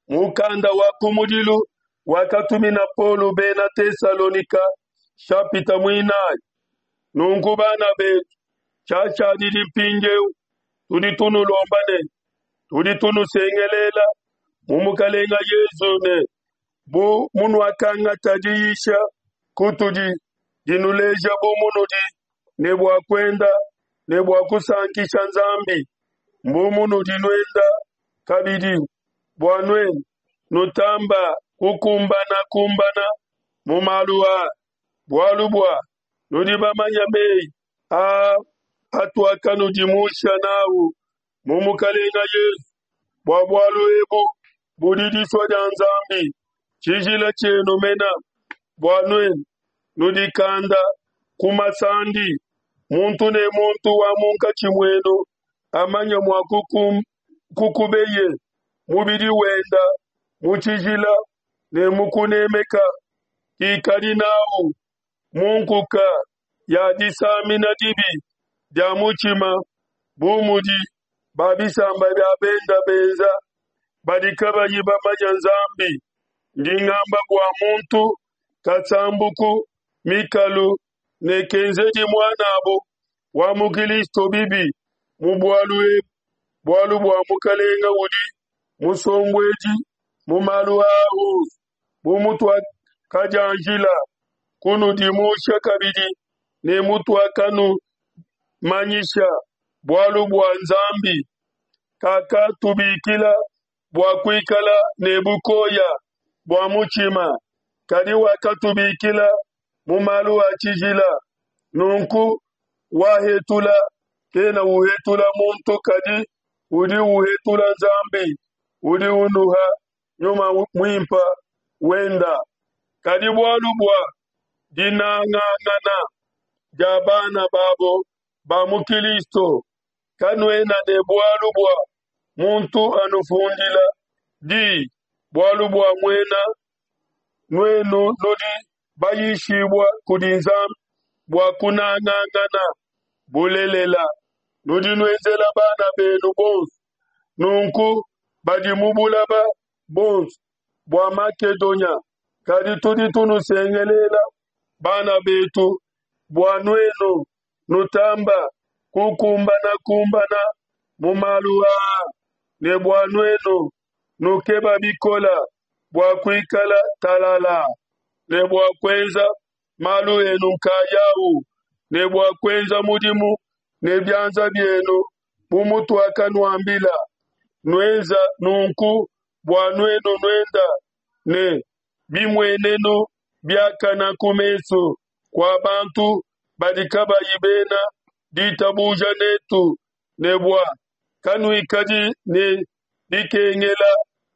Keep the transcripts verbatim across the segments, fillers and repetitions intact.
Mukanda wa kumudilu wakatumina Paulo Bena Tesalonike, nshapita muinayi. Nunku bana betu, tshiashadidi mpindieu tudi tunulomba ne tudi tunusengelela mu Mukalenge Yezu ne, bu munuakangata diyisha kutudi dinuleja bu munudi ne bua kuenda ne bua kusankisha Nzambi, mbu munudi nuenda kabidi, bua nuenu nutamba kukumbana kumbana mu malu aa, bualu bua nudi bamanya meyi aa atuakanudimusha nawu mu Mukalenge Yezu. Bua bualu ebu budi disua dia Nzambi, tshijila tshienu mena, bua nuenu nudikanda ku masandi, muntu ne muntu wa munkatshi muenu amanye mua kukum- kukubeye mubidi wenda mu tshijila ne mu kunemeka, kikadi nawu mu nkuka ya disamina dibi dia mutshima, bu mudi ba bisamba bia benda benza, badi kabayi bamanya Nzambi. Ndi ngamba bua muntu kasambuku mikalu ne kenzedi muanabo wa mu Kristo bibi mu bualu ebu, bualu bua Mukalenge udi musombuedi mu malu aa onso, bu mutuakadianjila kunudimusha kabidi ne mutuakanumanyisha. Bualu bua Nzambi kakatubikila bua kuikala ne bukoya bua mutshima, kadi wakatubikila mu malu a tshijila. Nunku wahetula kena uhetula muntu, kadi udi uhetula Nzambi udi unuha Nyuma Muimpe wenda. Kadi bualu bua dinangangana dia bana babo ba mu Kilisto, kanuena ne bualu bua muntu anufundila di, bualu bua muena nuenu nudi bayishibua kudi Nzambi bua kunangangana. Bulelela, nudi nuenzela bana benu bonso nunku badi mu bulaba bonso bua Makedonia. Kadi tudi tunusengelela, bana betu, bua nuenu nutamba kukumbanakumbana mu malu aa, ne bua nuenu nukeba bikola bua kuikala talala, ne bua kuenza malu enu nkayau, ne bua kuenza mudimu ne bianza bienu bu mutuakanuambila. Nuenza nunku bua nuenu nuenda ne bimuenenu biakana ku mesu kua bantu badi kabayi bena ditabuja netu, ne bua kanuikadi ne dikengela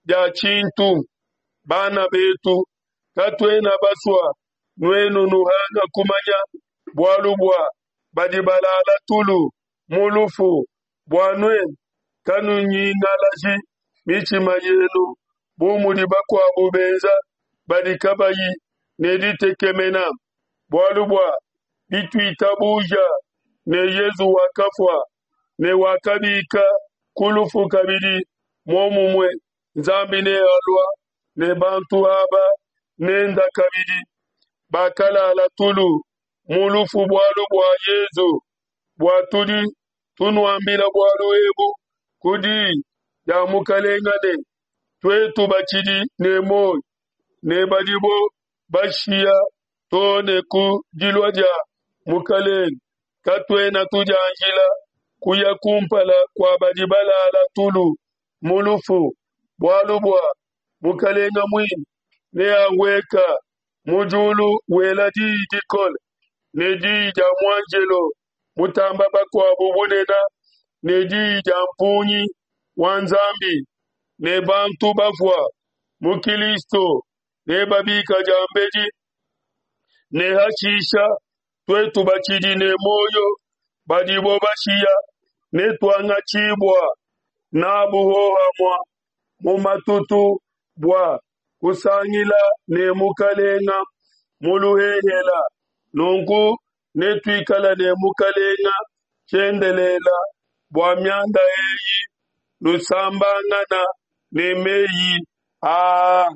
dia tshintu. Bana betu, katuena basua nuenu nuhanga kumanya bualu bua badi balala tulu mu lufu, bua nuenu kanunyingalaji mitshima yenu bu mudi bakuabu benza badi kabayi ne ditekemena. Bualu bua bituitabuja ne Yesu wakafua ne wakabika ku lufu kabidi, muomumue Nzambi nealua ne bantu aba nenda kabidi bakalala tulu mu lufu bualu bua Yesu. Bua tudi tunuambila bualu ebu ku diyi dia Mukalenge ne, tuetu batshidi ne muoyo ne badibo bashiya too ne ku dilua dia Mukalenge, katuena tudianjila kuya kumpala kua badi balala tulu mu lufu, bualu bua Mukalenge muine neahueka mu diulu wela diyi dikole, ne diyi dia muanjelo mutamba bakuabu bunene, ne diyi dia mpungi wa Nzambi, ne bantu bafua mu Kilisto nebabika diambedi, ne hashisha tuetu batshidi ne muoyo badibo bashiya netuangatshibua nabu hohamua mu matutu bua kusangila ne Mukalenga mu luhehela. Nunku netuikala ne Mukalenga tshiendelela. Bua mianda eyi nusambangana ne meyi Aa